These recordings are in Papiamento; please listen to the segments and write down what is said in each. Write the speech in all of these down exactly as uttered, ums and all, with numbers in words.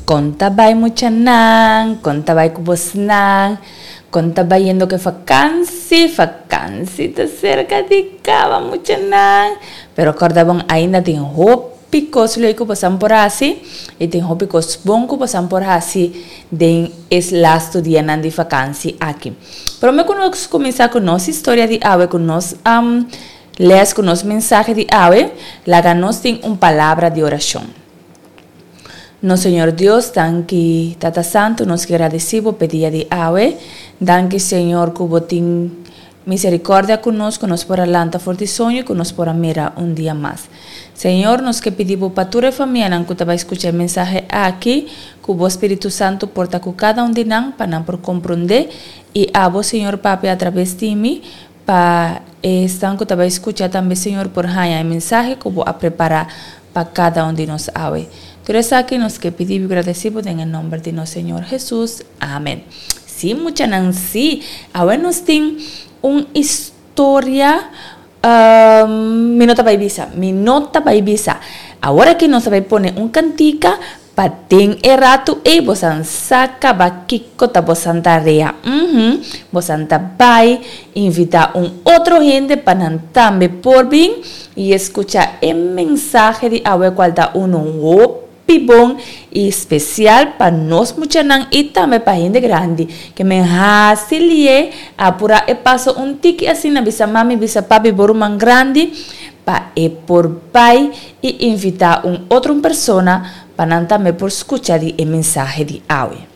Kon ta bai muchanan, kon ta bai ku bosnan, kon ta bayendo ku e fakansi, fakansi ta serka di kaba muchanan. Pero kòrda bon ainda tin hopi kos leuk ku bosan por hasi i tin hopi kos bon ku bosan por hasi den e lastu dianan di fakansi aki. Promé ku nos kuminsá ku nos historia di awe ku nos lès ku nos mensahe di awe, laga nos tin un palabra di orashon. Nos Señor Dios, danki Tata Santu, nos gradisí bo p'e dia di awe. Danki Señor ku bo tin miserikòrdia ku nos, ku nos por a lanta for di soño i ku nos por a mira un dia mas. Señor, nos ke pidi bo pa tur e famianan ku ta bai skucha e mensahe aki, ku bo Spiritu Santu por ta ku kada un di nan pa nan por komprondé i abo Señor papia atrabes di mi pa esnan ku ta bai skucha tambe Señor por haña e mensahe ku bo a prepará pa kada un di nos awe. Tur esaki nos ke pidi bo i gradesí bo den e nòmber di nos Señor Hesus. Amen. Sí, muchanan, sí. Awe nos tin un historia, mi no ta bai bisa, mi no ta bai bisa. Awor aki nos ta bai pone un kantika Pa den e ratu ei bosan sa kaba kiko ta bosan tarea. Uhum, bosan ta bai invitá un otro hende pa nan tambe por bin i eskuchá e mensahe di awe kual ta unu hopi bon i spesial pa nos muchanan i tambe pa hende grandi. Ke men hasi lié apurá e paso un tiki asina bisa mami, bisa papi bo ruman grandi pa e por bai i invitá un otro un persona pa nan tambe por skucha di e mensahe di awe.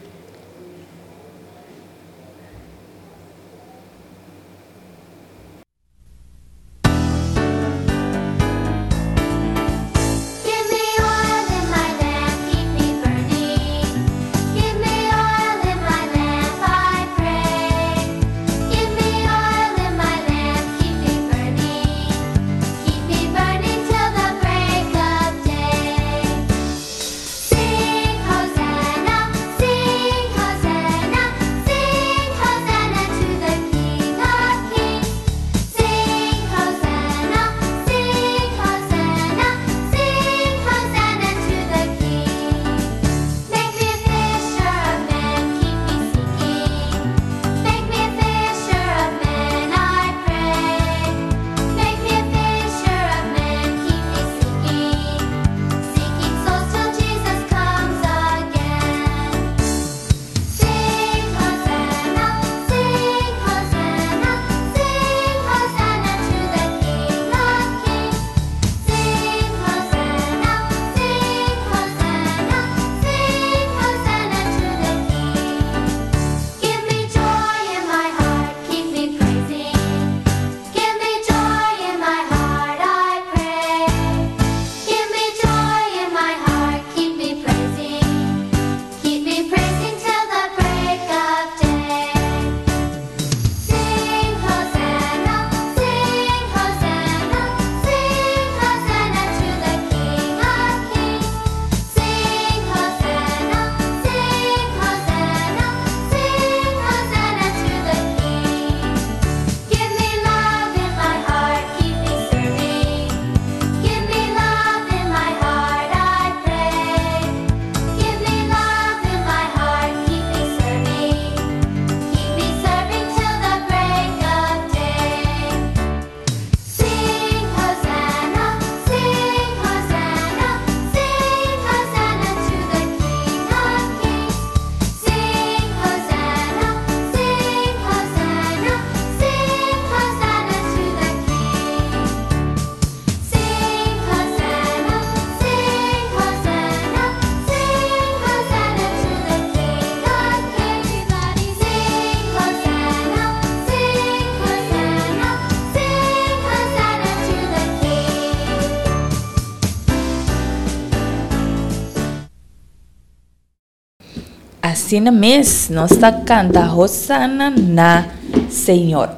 Asina mes, nos ta kanta Hosana na Señor.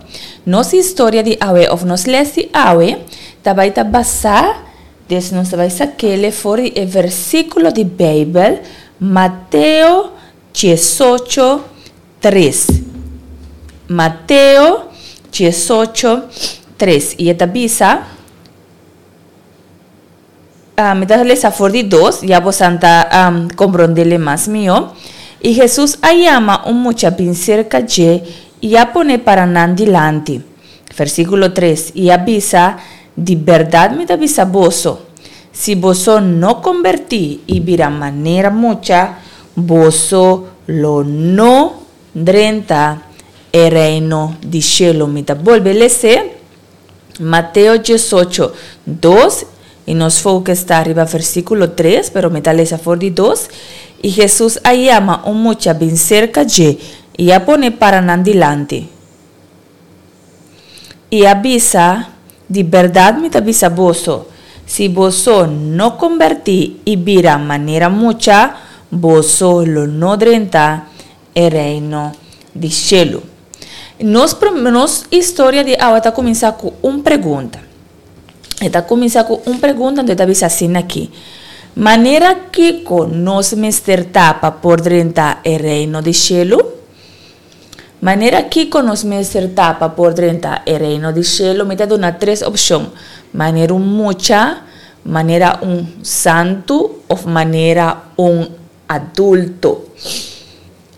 Nos historia di awe òf nos lès di awe ta bai ta basá, des nos ta bai sak'é for di e versíkulo di Beibel Mateo diesocho tres. Mateo diesocho tres i e ta bisa. Uh, mi ta lesa for di dos, ya boso ta um, komprondé mas mihó. I Hesus a yama un mucha bin serka dje i a pone para nan dilanti. Versíkulo tres. I a bisa: Di berdat mi ta bisa boso, si boso no kombertí i bira manera mucha, boso lo no drenta e reino di shelu. Mi ta bolbe lesa Mateo diesocho, dos, i nos focus ta riba versíkulo tres, pero mi ta lesa for di dos. I Hesus a yama un mucha bin serka dje i a pone para nan dilanti. I a bisa: Di berdat mi ta bisa boso, si boso no kombertí i bira manera mucha, boso lo no drenta e reino di shelu. Nos, nos historia di awe ta kuminsá ku un pregunta. Ta kuminsá ku un pregunta, anto ta bisa asina aki: Manera kiko nos mester ta pa por drenta e reino di shelu? Manera kiko nos mester ta pa por drenta e reino di shelu? Mi ta duna tres opshon. Manera un mucha, manera un santu òf manera un adulto.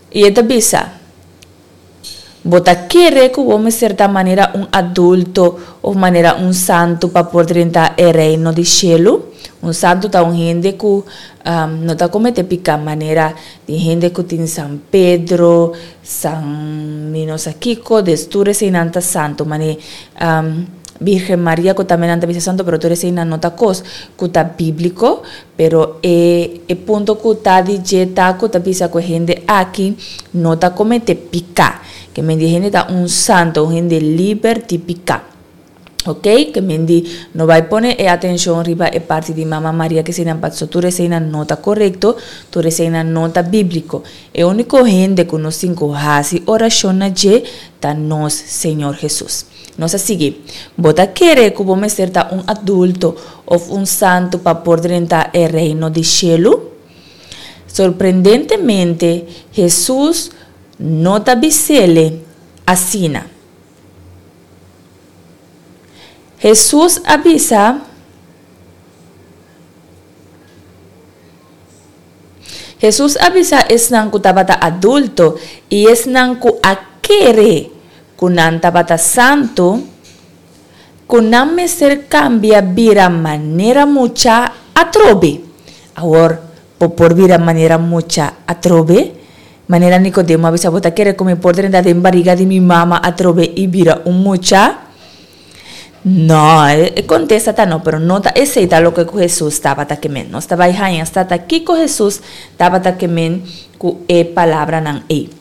I e ta bisa: Bo ta kere ku bo mester ta manera un adulto òf manera un santu pa por drenta e reino di shelu? Un santu ta un hende ku um, no ta kometé piká, manera di hende ku tin San Pedro, San mi no sa kiko, dus tur eseinan ta santu, mane um, Virgen Maria ku tambe nan ta bisa santu, pero tur eseinan no ta kos ku ta bíbliko, pero e, e punto ku ta di dje ta ku ta bisa ku hende aki no ta kometé piká. Ke men di hende ta un santu, un hende liber di piká. Ok? Ke men di no bai pone e atenshon riba e parti di Mama Maria ku eseinan, paso tur eseinan no ta korekto, tur eseinan no ta bíbliko. E úniko hende ku nos tin ku hasi orashon na dje ta nos Señor Hesus. Nos ta sigui. Bo ta kere ku bo mester ta un adulto òf un santu pa por drenta e reino di shelu? Sorprendentemente, Hesus no ta bis'é asina. Hesus a bisa Hesus a bisa esnan ku tabata adulto i esnan ku a kere ku nan tabata santu, ku nan mester kambia bira manera mucha atrobe. Awor, bo por bira manera mucha atrobe? Manera Nikodemo a bisa, Bo ta kere ku mi por drenta den bariga di mi mama atrobe i bira un mucha? No, e kontesta ta no, pero no ta esei ta loke ku Hesus tabata ke men. Nos ta bai haña sa ta kiko Hesus tabata ke men ku e palabranan ei.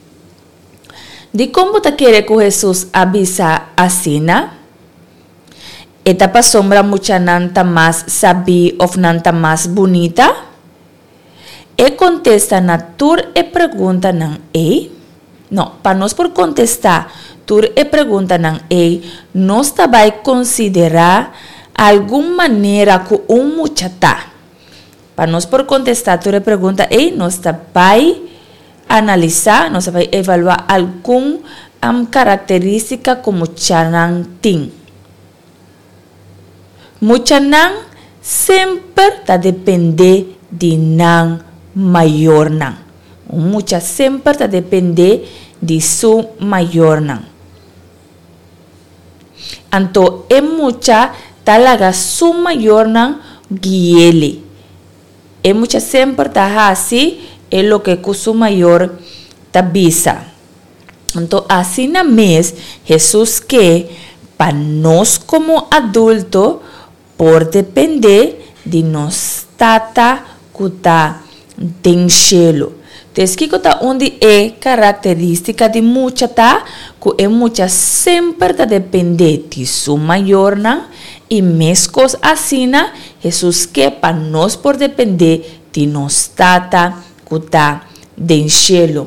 Dikon bo ta kere ku Hesus a bisa asina? E ta pasobra muchanan ta mas sabí òf nan ta mas bunita? E kontesta na tur e preguntanan ei? No, pa nos por kontestá tur e preguntanan ei, nos ta bai konsiderá algun manera ku un mucha ta. Pa nos por kontestá tur e pregunta ei, nos ta bai analisá, nos ta bai evaluá algun karakterístika ku muchanan tin. Muchanan semper ta dependé di nan mayornan. Un mucha semper ta dependé di su mayornan. Anto e mucha ta laga su mayornan gui'é. E mucha semper ta hasi e loke ku su mayor ta bisa. Anto asina mes Hesus ke pa nos komo adulto por dependé di nos Tata ku ta den shelu. Tes kiko ta un di e karakterístika di mucha ta ku e mucha semper ta dependé di su mayornan i meskos asina Hesus ke pa nos por dependé di nos Tata ku ta den shelu.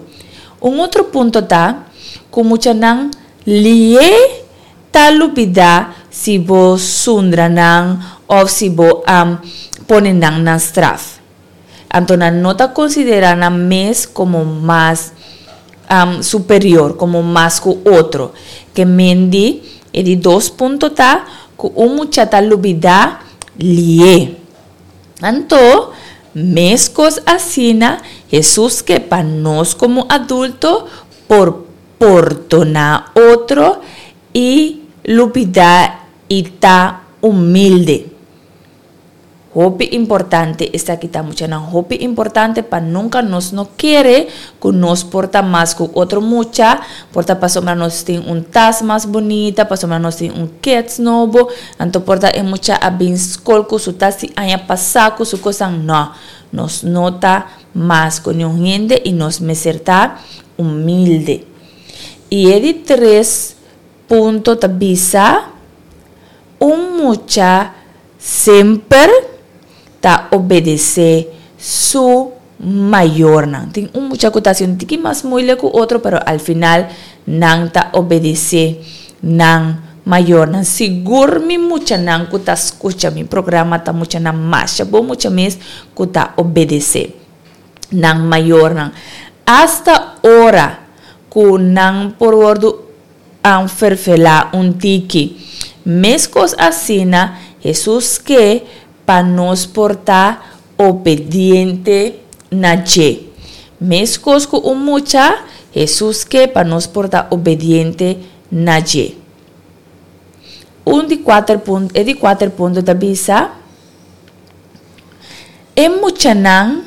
Un otro punto ta ku muchanan lié ta lubidá si bo sundra nan òf si bo a pone nan na straf. Anto nan no ta konsiderá nan mes komo mas superior, komo mas ku otro. Ke men di, e di dos punto ta ku un mucha ta lubidá lié. Anto, meskos asina, Hesus ke pa nos komo adulto por pordoná otro i lubidá i ta humilde. Hopi importante esaki ta, muchanan, hopi importante pa nunka nos no kere ku nos por ta mas ku otro mucha, por ta pasobra nos tin un tas mas bunita, pasobra nos tin un keds nobo, anto por ta e mucha a bin skol ku su tas di aña pasá ku su kosnan. No, nos no ta mas ku niun hende i nos mester ta humilde. I e di tres punto ta bisa, un mucha semper ta obedesé su mayornan. Tin un mucha ku ta hasi un tiki mas moeilijk ku otro, pero al final nan ta obedesé nan mayornan. Sigur mi muchanan ku ta skucha mi programa ta muchanan masha bon mucha mes ku ta obedesé nan mayornan. Asta ora ku nan por wòrdu anferfelá un tiki. Meskos asina Hesus ke pa nos por ta obediente na dje. Meskos ku un mucha, Hesus ke pa nos por ta obediente na dje. Un di kuater punto, e di kuater punto ta bisa, E muchanan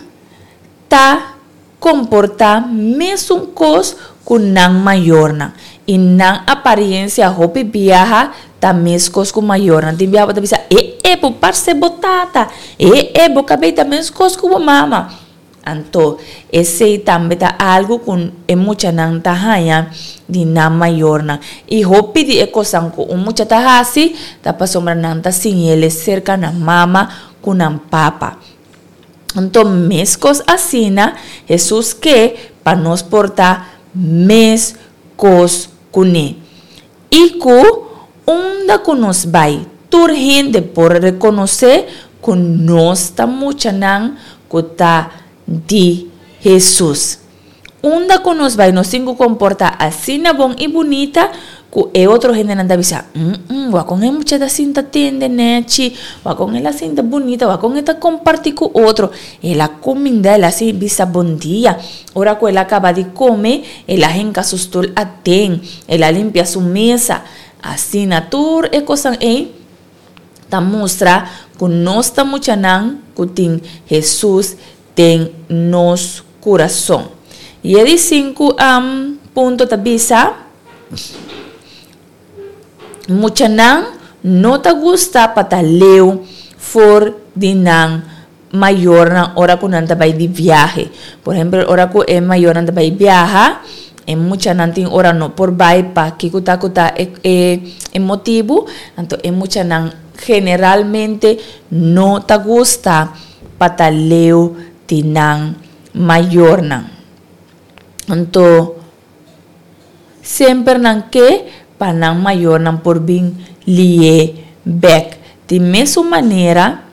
ta komportá mesun kos ku nan mayornan i nan apariencia hopi biaha ta meskos ku mayornan. Tin biaha bo ta bisa, E e, bo parse bo tata. E e, bo kabei ta meskos ku bo mama. Anto, esei tambe ta algu ku e muchanan ta haña di nan mayornan. I hopi di e kosnan ku un mucha ta hasi ta pasobra nan ta siñ'el serka nan mama ku nan papa. Anto meskos asina Hesus ke pa nos por ta meskos kuné. I ku unda ku nos bai, tur hende por rekonosé ku nos ta muchanan ku ta di Hesus. Unda ku nos bai nos tin ku komportá asina bon i bunita ku e otro hendenan ta bisa, Mm, wak kon e mucha ta sinta tende nèchi, wak kon el a sinta bunita, wak kon e ta kompartí ku otro. El a kuminda, el a si bisa bon dia. Ora ku el a kaba di kome, el a hinka su stul aden, el a limpia su mesa. Asina tur e kosnan ei ta mustra ku nos ta muchanan ku tin Hesus den nos kurason. I e di sinku punto ta bisa, Muchanan no ta gusta pa ta leu for di nan mayornan ora ku nan ta bai di viahe. Por ehempel, ora ku e mayornan ta bai biaha, e muchanan tin ora no por bai pa kiko ta ku ta e e motibu. Anto e muchanan generalmente no ta gusta pa ta leu di nan mayornan. Anto semper nan ke pa nan mayornan por bin li'é bèk. Di mesun manera,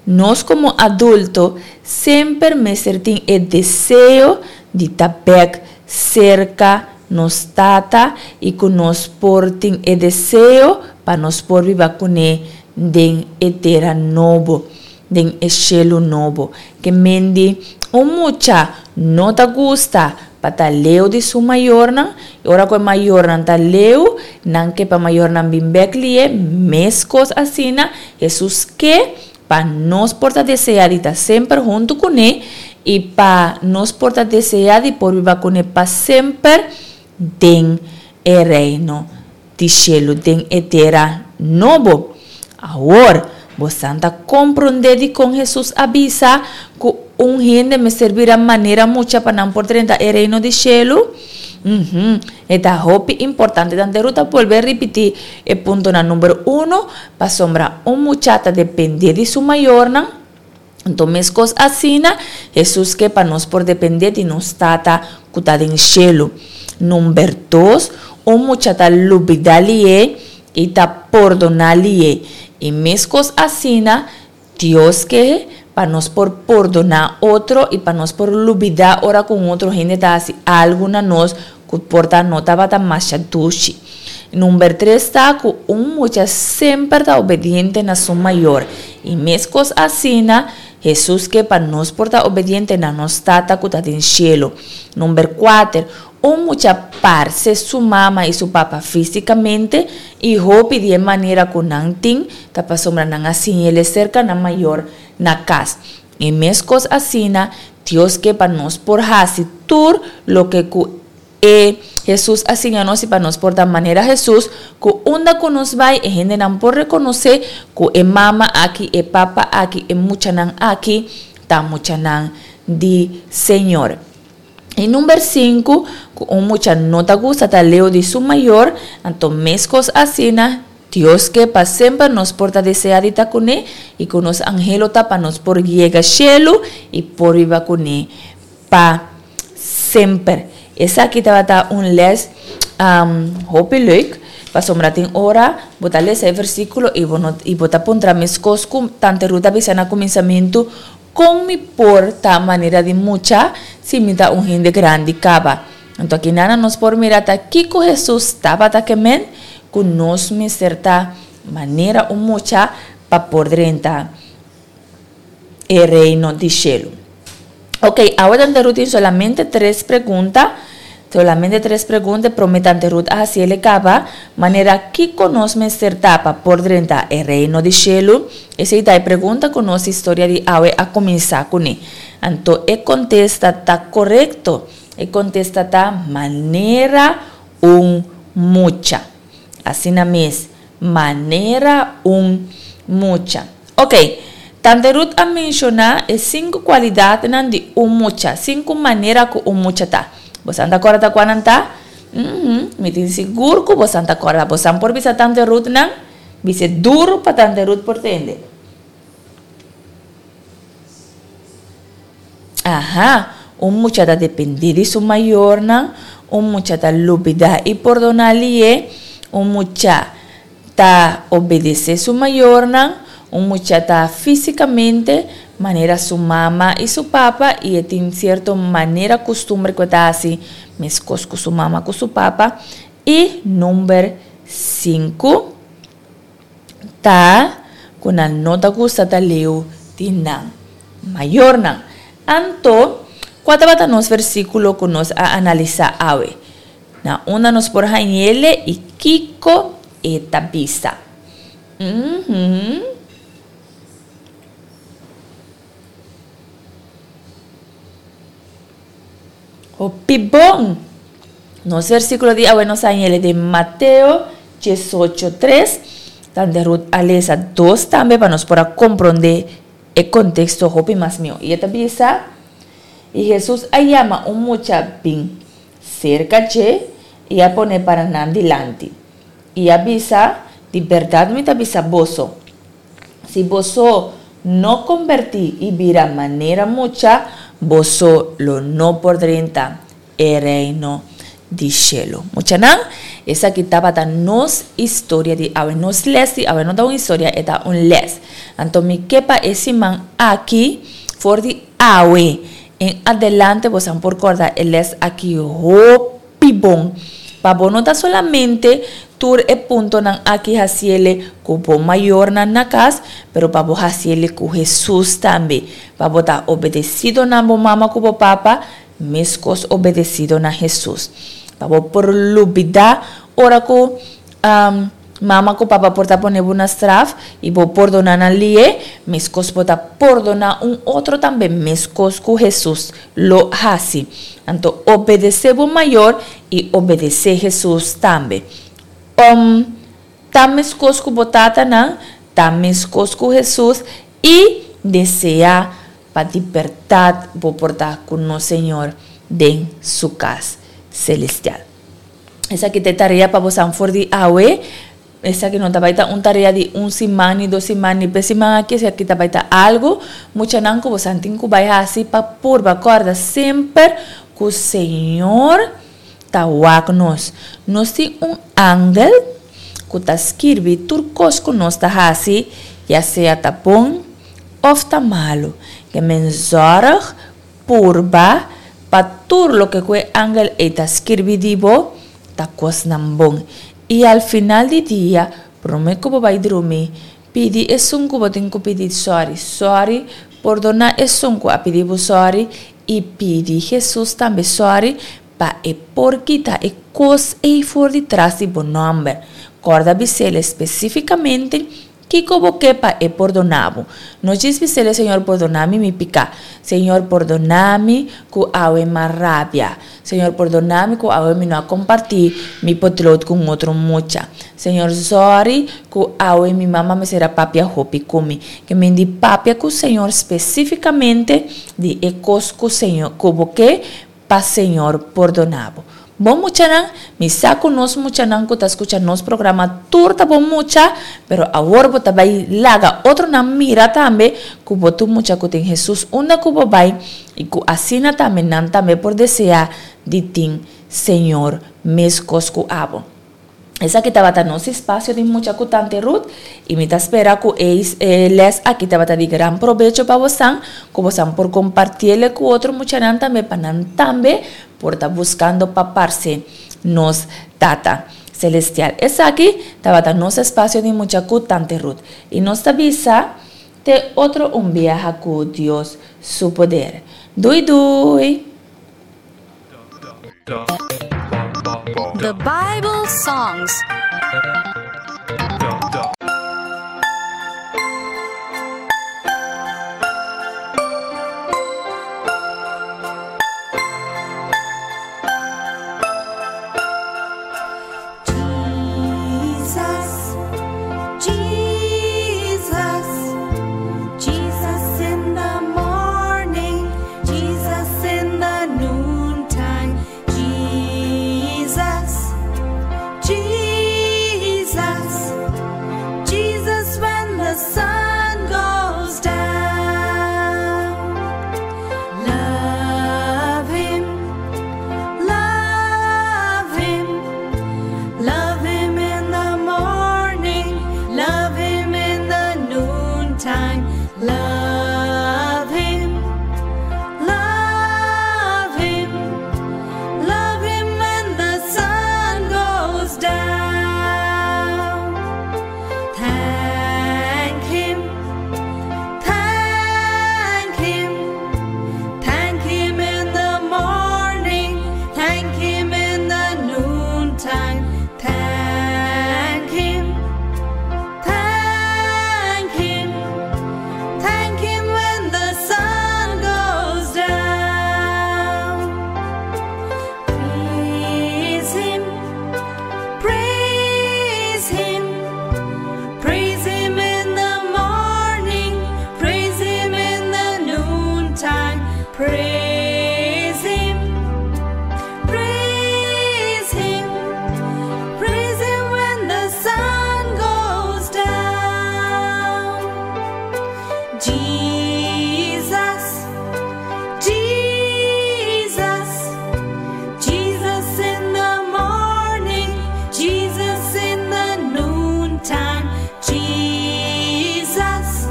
nos komo adulto semper mester tin e deseo di ta bèk serka nos Tata i ku nos por tin e deseo pa nos por biba kuné den e tera nobo, den e shelu nobo. Ke mendi un mucha no ta gusta pa ta leu di su mayornan, i ora ku e mayornan ta leu, nan ke pa mayornan bin bèk li'é, meskos asina Hesus ke pa nos por ta deseá di ta semper huntu kuné i pa nos por ta deseá di por biba kuné pa semper den e Reino di shelu, den e tera nobo. Awor, bosan ta komprondé dikon Hesus a bisa ku un hende mester bira manera mucha pa nan por drenta e Reino di shelu? Uhum, e ta hopi importante. Tante Ruth ta bolbe ripití e puntonan number uno, pasobra un mucha ta dependé di su mayornan. Anto meskos asina, Hesus ke pa nos por dependé di nos Tata ku ta den shelu. Number dos, un mucha ta lubidá lié i ta pordoná lié. I meskos asina, Dios ke pa nos por pordoná otro i pa nos por lubidá ora ku un otro hende ta hasi algu na nos ku por ta no tabata masha dushi. Number tres ta ku un mucha semper ta obediente na su mayor. I meskos asina, Hesus ke pa nos por ta obediente na nos Tata ku ta den shelu. Number kuater, un mucha parse su mama i su papa físikamente i hopi di e manera ku nan tin ta pasobra nan a siñ'el serka nan mayor na kas. I meskos asina, Dios ke pa nos por hasi tur loke ku e Hesus a siña nos i pa nos por ta manera Hesus, ku unda ku nos bai e hendenan por rekonosé ku e mama aki, e papa aki, e muchanan aki ta muchanan di Señor. I number sinku, ku un mucha no ta gusta ta leu di su mayor, anto meskos asina, Dios ke pa semper nos por ta deseá di ta kuné i ku nos anhelo ta pa nos por yega shelu i por biba kuné pa semper. Esaki tabata un les hopi leuk, pasobra tin ora bo ta lesa e versíkulo i bo no i bo ta puntra meskos ku Tante Ruth a bisa na kuminsamentu, Kon mi por ta manera di mucha si mi ta un hende grandi kaba? Anto akinana nos por mira ta kiko Hesus tabata ke men ku nos mester ta manera un mucha pa por drenta e Reino di shelu. Ok, awe Tante Ruth tin solamente tres pregunta, solamente tres pregunta, e prome Tante Ruth a hasi el e kaba, manera kiko nos mester ta pa por drenta e Reino di shelu? Esei ta e pregunta ku nos historia di awe a kuminsá kuné. Anto e kontesta ta korekto, e kontesta ta manera un mucha. Asina mes, manera un mucha. Ok, Tante Ruth a menshoná e sinku kualidatnan di un mucha, sinku manera ku un mucha ta. Bosan ta kòrda ta kua nan ta? Uhum, mi tin sigur ku bosan ta kòrda. Bosan por bisa Tante Ruth nan? Bis'é duru pa Tante Ruth por tende. Aha, un mucha ta dependé di su mayornan, un mucha ta lubidá i pordoná lié, un mucha ta obedesé su mayornan, un mucha ta físikamente manera su mama i su papa i e tin sierto manera kustumber ku e ta hasi meskos ku su mama ku su papa. I number sinku ta ku nan no ta gusta ta leu di nan mayornan. Anto, kua tabata nos versíkulo ku nos a analisá awe? Na unda nos por hañ'ele i kiko e ta bisa? Uhum. Hopi bon! Nos versíkulo di awe nos hañ'ele den Mateo diesocho tres. Tante Ruth a lesa dos tambe pa nos por a komprondé e konteksto hopi mas mihó. I e ta bisa, I Hesus a yama un mucha bin serka dje i a pone para nan dilanti. I a bisa, Di bèrdat mi ta bisa boso, si boso no kombertí i bira manera mucha, boso lo no por drenta e Reino di shelu. Muchanan, esaki tabata nos historia di awe. Nos lès di awe no ta un historia, e ta un lès. Anto mi ke pa e siman aki, for di awe en adelante bosan por kòrda e lès aki hopi bon. Pa bo no ta solamente tur e puntonan aki hasiele ku bo mayornan na kas, pero pa bo hasiele ku Hesus tambe. Pa bo ta obedesido na bo mama ku bo papa, meskos obedesido na Hesus. Pa bo por lubidá ora ku mama ku papa por ta pone bo na straf i bo pordoná nan lié, meskos bo ta pordoná un otro tambe meskos ku Hesus lo hasi. Anto obedesé bo mayor i obedesé Hesus tambe. Om ta meskos ku bo tatanan, ta meskos ku Hesus i deseá pa di bèrdat bo por ta ku nos Señor den su kas selestial. Esaki ta e tarea pa bosan for di awe. Esaki no ta bai ta un tarea di un siman, ni dos siman, ni pes siman aki. Esaki ta bai ta algu muchanan ku bosan tin ku bai hasi pa purba kòrda semper ku Señor ta wak nos. Nos tin un angel ku ta skirbi tur kos ku nos ta hasi, ya sea ta bon òf ta malu. Ke men zòrg Purba pa tur loke ku e angel ei ta skirbi di bo ta kosnan bon. I al final di dia, promé ku bo bai drumi, pidi esun ku bo tin ku pidi sòri, sòri Pordoná esun ku a pidi bo sòri i pidi Hesus tambe sòri pa e por kita e kos ei for di tras di bo nòmber. Kòrda bis'el spesífikamente kiko bo ke pa e pordoná bo. No djis bis'el, Señor pordoná mi mi piká. Señor pordoná mi ku awe m'a rabia. Señor pordoná mi ku awe mi no a kompartí mi potlood ku un otro mucha. Señor sòri ku awe mi mama mester a papia hopi ku mi. Ke men di papia ku Señor spesífikamente di e kos ku Señor ku bo ke pa Señor pordoná bo. Bon muchanan, mi sa ku nos muchanan ku ta skucha nos programa tur ta bon mucha, pero awor bo ta bai laga otronan mira tambe ku bo ta un mucha ku tin Hesus unda ku bo bai i ku asina tambe nan tambe por deseá di tin Señor meskos ku abo. Esaki tabata nos espasio di mucha ku Tante Ruth i mi ta spera ku e les aki tabata di gran probecho pa bosan, ku bosan por kompartiele ku otro muchanan tambe pa nan tambe por ta buskando pa parse nos Tata Celestial. Esaki tabata nos espasio di mucha ku Tante Ruth i nos ta bisa te otro un biaha ku Dios su poder. Dui dui! The Bible Songs. Jesus, Jesus, Jesus in the morning, Jesus in the noontime, Jesus, Jesus, Jesus when the sun goes down. Love him, love him. Love him in the morning, love him in the noontime, love him, love him, love him when the sun goes down. Thank him, thank him, thank him in the morning, thank him in the noontime, thank him, thank him, thank him when the sun goes down. Praise him, praise him, praise him in the morning, praise him in the noontime, praise him, praise him, praise him when the sun goes down. Jesus, Jesus, Jesus in the morning, Jesus in the noontime, Jesus,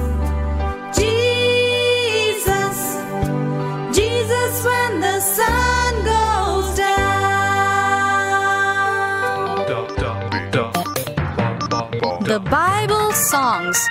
Jesus, Jesus when the sun goes down. The Bible Songs.